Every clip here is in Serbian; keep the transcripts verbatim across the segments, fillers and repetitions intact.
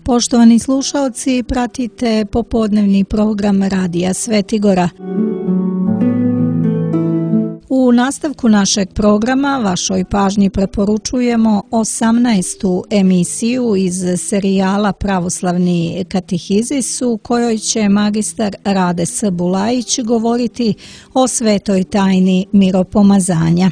Poštovani slušaoci, pratite popodnevni program Radija Svetigora. U nastavku našeg programa vašoj pažnji preporučujemo osamnaestu emisiju iz serijala Pravoslavni katehizis u kojoj će magistar Rade S. Bulajić govoriti o svetoj tajni miropomazanja.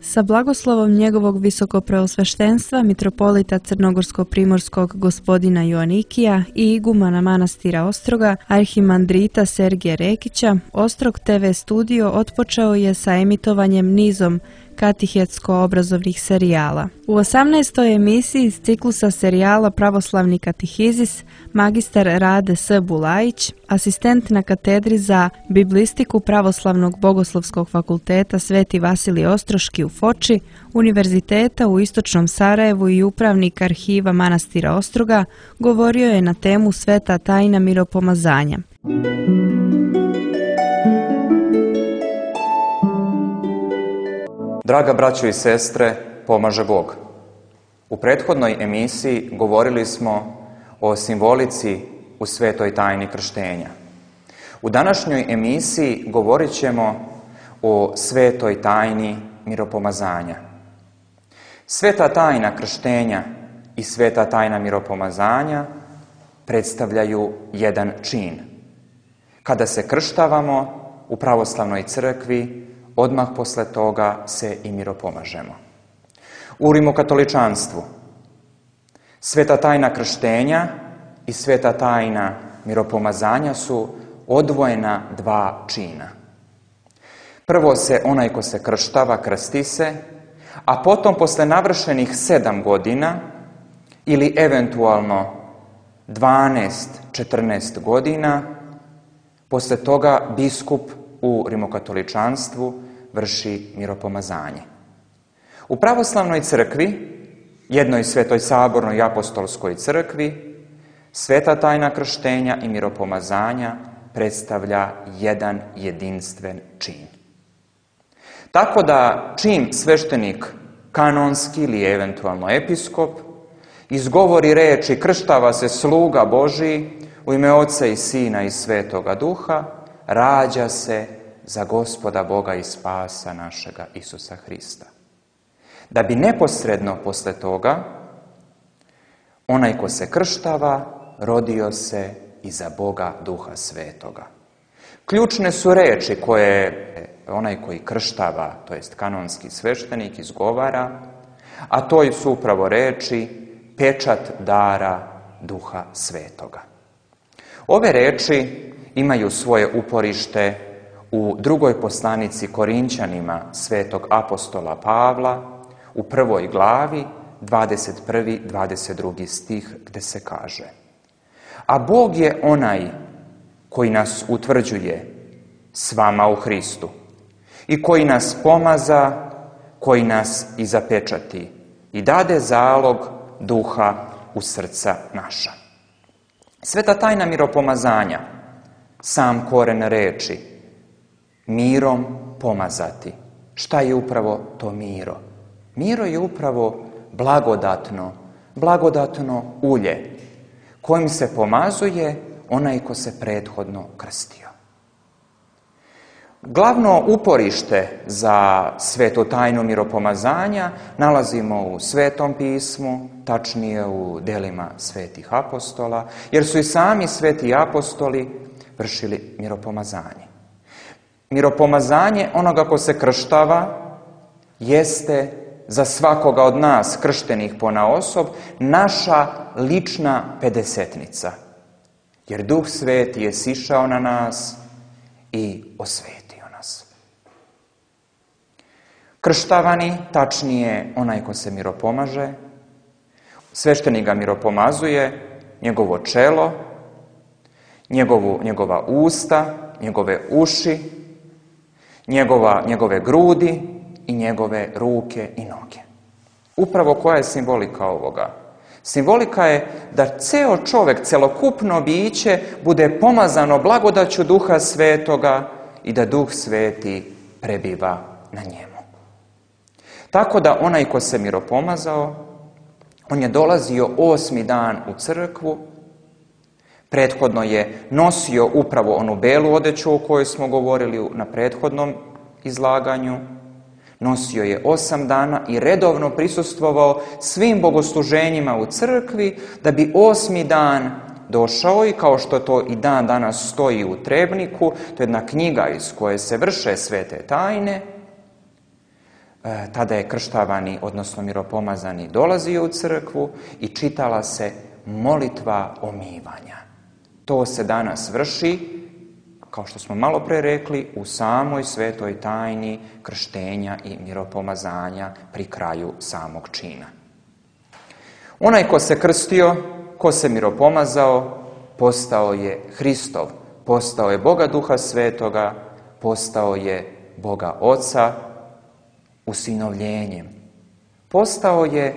Sa blagoslovom njegovog visokopreosveštenstva mitropolita Crnogorsko-primorskog gospodina Joanikija i igumana manastira Ostroga, arhimandrita Sergija Rekića, Ostrog te ve studio otpočeo je sa emitovanjem nizom katehetsko-obrazovnih serijala. U osamnaestoj emisiji iz ciklusa serijala Pravoslavni katehizis magistar Rade S. Bulajić, asistent na katedri za biblistiku Pravoslavnog bogoslovskog fakulteta Sveti Vasilij Ostroški u Foči, Univerziteta u Istočnom Sarajevu i upravnik arhiva manastira Ostroga, govorio je na temu Sveta tajna miropomazanja. Draga braćo i sestre, pomaže Bog. U prethodnoj emisiji govorili smo o simbolici u svetoj tajni krštenja. U današnjoj emisiji govorit ćemo o svetoj tajni miropomazanja. Sveta tajna krštenja i sveta tajna miropomazanja predstavljaju jedan čin. Kada se krštavamo u pravoslavnoj crkvi, odmah posle toga se i miropomažemo. U rimokatoličanstvu sveta tajna krštenja i sveta tajna miropomazanja su odvojena dva čina. Prvo se onaj ko se krštava, krsti se, a potom posle navršenih sedam godina ili eventualno dvanaest četrnaest godina, posle toga biskup u rimokatoličanstvu vrši miropomazanje. U pravoslavnoj crkvi, jednoj svetoj sabornoj i apostolskoj crkvi, sveta tajna krštenja i miropomazanja predstavlja jedan jedinstven čin. Tako da čim sveštenik kanonski ili eventualno episkop izgovori reči krštava se sluga Božiji u ime Oca i Sina i Svetoga Duha, rađa se za Gospoda Boga i spasa našega Isusa Hrista. Da bi neposredno posle toga onaj ko se krštava rodio se i za Boga Duha Svetoga. Ključne su reči koje onaj koji krštava, to jest kanonski sveštenik, izgovara, a to su upravo reči pečat dara Duha Svetoga. Ove reči imaju svoje uporište u drugoj poslanici Korinćanima svetog apostola Pavla, u prvoj glavi, dvadeset prvi dvadeset drugi stih, gde se kaže: a Bog je onaj koji nas utvrđuje s vama u Hristu i koji nas pomaza, koji nas i zapečati i dade zalog duha u srca naša. Sveta tajna miropomazanja, sam koren reči, mirom pomazati. Šta je upravo to miro? Miro je upravo blagodatno, blagodatno ulje, kojim se pomazuje onaj ko se prethodno krstio. Glavno uporište za svetu tajnu miropomazanja nalazimo u Svetom pismu, tačnije u delima svetih apostola, jer su i sami sveti apostoli vršili miropomazanje. Miropomazanje onoga ko se krštava jeste za svakoga od nas krštenih ponaosob naša lična pedesetnica. Jer Duh Sveti je sišao na nas i osvetio nas. Krštavani, tačnije onaj ko se miropomaže, sveštenik ga miropomazuje, njegovo čelo, njegovu, njegova usta, njegove uši, njegova, njegove grudi i njegove ruke i noge. Upravo koja je simbolika ovoga? Simbolika je da ceo čovek, celokupno biće, bude pomazano blagodaću Duha Svetoga i da Duh Sveti prebiva na njemu. Tako da onaj ko se miropomazao, on je dolazio osmi dan u crkvu, prethodno je nosio upravo onu belu odeću o kojoj smo govorili na prethodnom izlaganju, nosio je osam dana i redovno prisustvovao svim bogosluženjima u crkvi, da bi osmi dan došao i kao što to i dan danas stoji u Trebniku, to je jedna knjiga iz koje se vrše svete tajne, e, tada je krštavani, odnosno miropomazani, dolazio u crkvu i čitala se molitva omivanja. To se danas vrši, kao što smo malo pre rekli, u samoj svetoj tajni krštenja i miropomazanja pri kraju samog čina. Onaj ko se krstio, ko se miropomazao, postao je Hristov, postao je Boga Duha Svetoga, postao je Boga Oca usinovljenjem. Postao je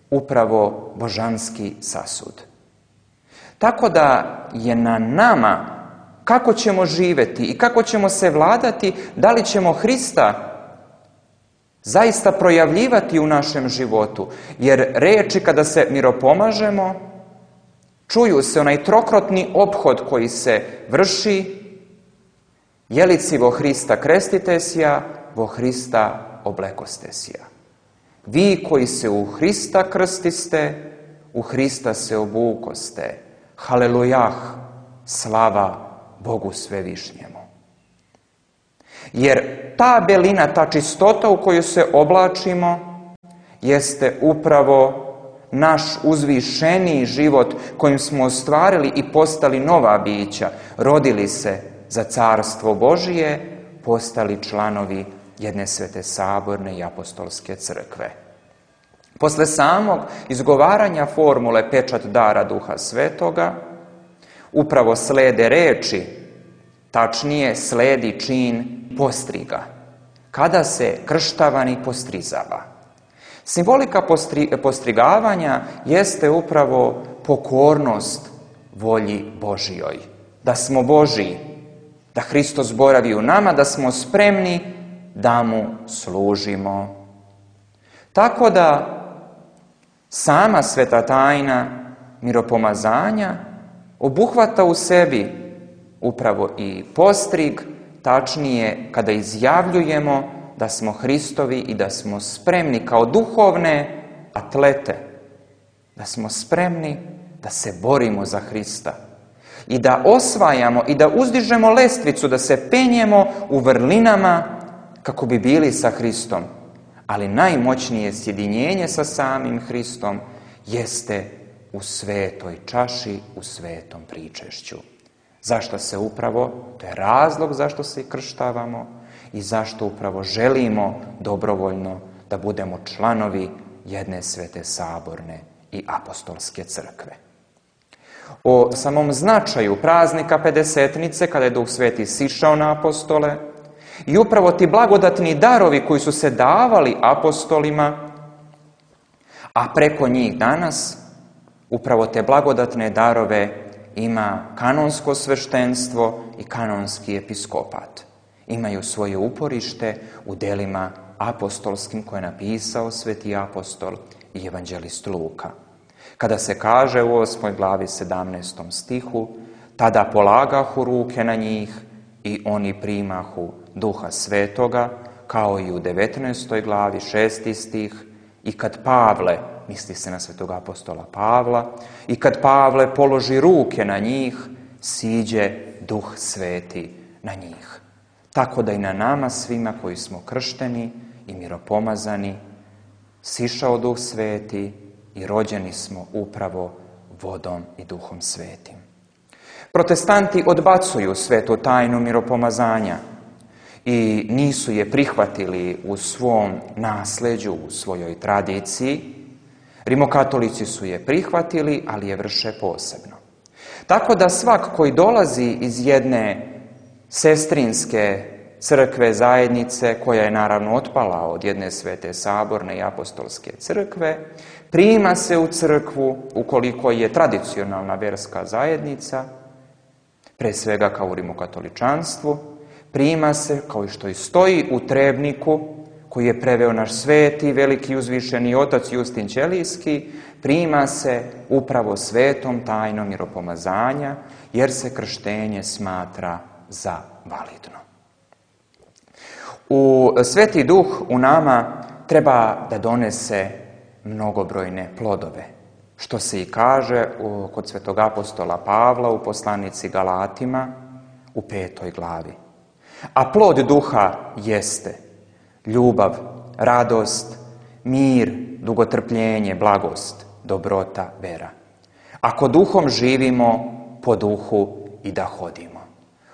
upravo božanski sasud. Tako da je na nama kako ćemo živjeti i kako ćemo se vladati, da li ćemo Hrista zaista projavljivati u našem životu. Jer reči kada se miropomažemo, čuju se onaj trokrotni ophod koji se vrši, jelici vo Hrista krestitesja, vo Hrista oblekostesja. Vi koji se u Hrista krstiste, u Hrista se obukoste. Halelujah, slava Bogu svevišnjemu. Jer ta belina, ta čistota u koju se oblačimo, jeste upravo naš uzvišeniji život kojim smo ostvarili i postali nova bića, rodili se za carstvo Božije, postali članovi jedne svete saborne i apostolske crkve. Posle samog izgovaranja formule pečat dara Duha Svetoga, upravo slede reči, tačnije sledi čin postriga, kada se krštavani postrizava. Simbolika postri, postrigavanja jeste upravo pokornost volji Božijoj. Da smo Božiji, da Hristos boravi u nama, da smo spremni da mu služimo. Tako da sama sveta tajna miropomazanja obuhvata u sebi upravo i postrig, tačnije kada izjavljujemo da smo Hristovi i da smo spremni kao duhovne atlete, da smo spremni da se borimo za Hrista i da osvajamo i da uzdižemo lestvicu, da se penjemo u vrlinama kako bi bili sa Hristom. Ali najmoćnije sjedinjenje sa samim Hristom jeste u svetoj čaši, u svetom pričešću. Zašto se upravo, to je razlog zašto se i krštavamo i zašto upravo želimo dobrovoljno da budemo članovi jedne svete saborne i apostolske crkve. O samom značaju praznika Pedesetnice, kada je Duh Sveti sišao na apostole, i upravo ti blagodatni darovi koji su se davali apostolima, a preko njih danas, upravo te blagodatne darove ima kanonsko sveštenstvo i kanonski episkopat. Imaju svoje uporište u delima apostolskim koje je napisao sveti apostol i evanđelist Luka. Kada se kaže u osmoj glavi sedamnaestom stihu, tada polagahu ruke na njih i oni primahu Duha Svetoga, kao i u devetnaestoj glavi šesti stih, i kad Pavle, misli se na svetog apostola Pavla, i kad Pavle položi ruke na njih, siđe Duh Sveti na njih. Tako da i na nama svima koji smo kršteni i miropomazani, sišao Duh Sveti i rođeni smo upravo vodom i Duhom Svetim. Protestanti odbacuju svetu tajnu miropomazanja i nisu je prihvatili u svom nasleđu, u svojoj tradiciji. Rimokatolici su je prihvatili, ali je vrše posebno. Tako da svak koji dolazi iz jedne sestrinske crkve zajednice, koja je naravno otpala od jedne svete saborne i apostolske crkve, prima se u crkvu ukoliko je tradicionalna verska zajednica, pre svega kao u rimokatoličanstvu, prima se, kao i što i stoji u Trebniku, koji je preveo naš sveti, veliki uzvišeni otac Justin Ćelijski, prima se upravo svetom tajnom miropomazanja, jer se krštenje smatra za validno. U Sveti Duh u nama treba da donese mnogobrojne plodove, što se i kaže u, kod svetog apostola Pavla u poslanici Galatima u petoj glavi. A plod duha jeste ljubav, radost, mir, dugotrpljenje, blagost, dobrota, vera. Ako duhom živimo, po duhu i da hodimo.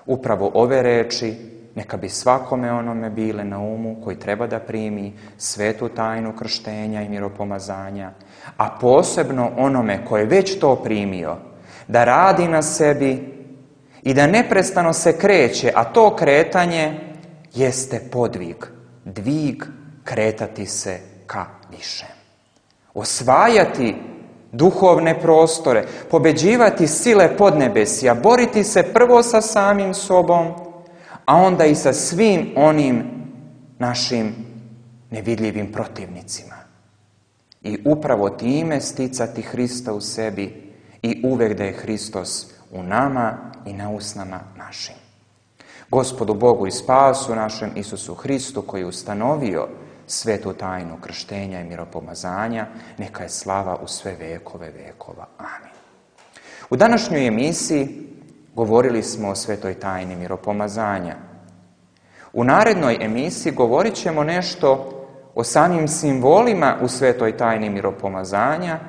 Upravo ove reči neka bi svakome onome bile na umu koji treba da primi svetu tajnu krštenja i miropomazanja, a posebno onome koji je već to primio, da radi na sebi i da neprestano se kreće, a to kretanje jeste podvig, dvig, kretati se ka više. Osvajati duhovne prostore, pobeđivati sile podnebesja, boriti se prvo sa samim sobom, a onda i sa svim onim našim nevidljivim protivnicima. I upravo time sticati Hrista u sebi i uvek da je Hristos u nama i na usnama našim. Gospodu Bogu i spasu našem Isusu Hristu, koji je ustanovio svetu tajnu krštenja i miropomazanja, neka je slava u sve vekove vekova. Amin. U današnjoj emisiji govorili smo o svetoj tajni miropomazanja. U narednoj emisiji govorit ćemo nešto o samim simbolima u svetoj tajni miropomazanja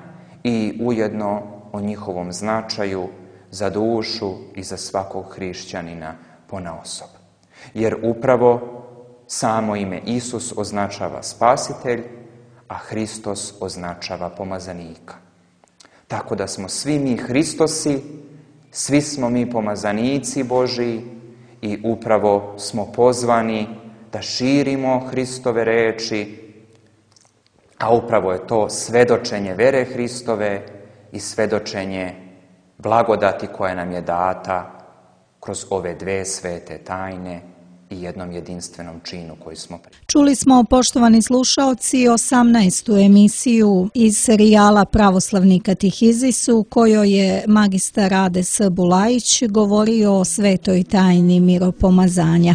i ujedno o njihovom značaju za dušu i za svakog hrišćanina ponaosob. Jer upravo samo ime Isus označava spasitelj, a Hristos označava pomazanika. Tako da smo svi mi Hristosi, svi smo mi pomazanici Božiji i upravo smo pozvani da širimo Hristove reči, a upravo je to svedočenje vere Hristove i svedočenje blagodati koja nam je data kroz ove dve svete tajne i jednom jedinstvenom činu koji smo... Čuli smo, poštovani slušaoci, osamnaestu emisiju iz serijala Pravoslavni katehizis u kojoj je magistar Rade S. Bulajić govorio o svetoj tajni miropomazanja.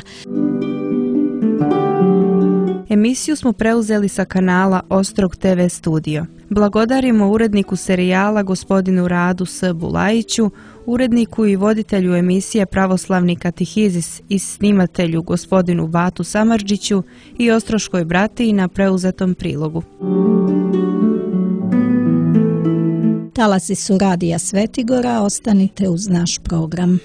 Emisiju smo preuzeli sa kanala Ostrog te ve Studio. Blagodarimo uredniku serijala gospodinu Radu S. Bulajiću, uredniku i voditelju emisije Pravoslavni katehizis i snimatelju gospodinu Batu Samardžiću i Ostroškoj bratiji na preuzetom prilogu. Talasi su Radija Svetigora, ostanite uz naš program.